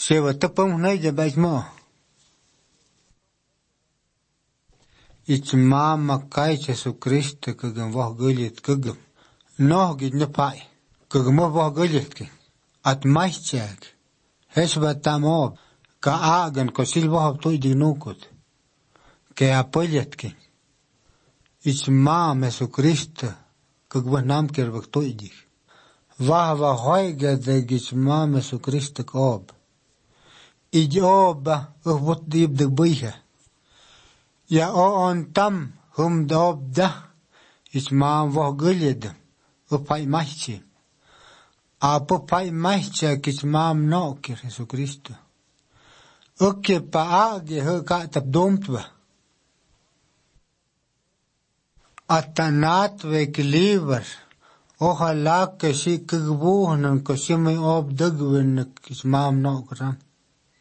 Sewa tepung nai je bais mo. Ich mama kai Jesu Christe kagam wah gulit kagam. Noh gid ne pai. Kagam wah gulit ki. At maischag. Hesba tamob. Ka agan ko silwah tu idignukut. Ke apoyet ki. Ich mama Jesu Christe kagwah nam kerbak tu idig. Wah hoiga de ich mama Jesu Christe kob. Ijoba wot diep de buihe. Ja on tam hum dob da. Ich mam wah gulit. Pai maichi. Apo pai maichi ich mam no ke Jesu Christe. Oke pa age he ka tap domtwa. Atanat wek liever. Ojalá que si kagbuhnen ko si me op dugwen ich mam no kran.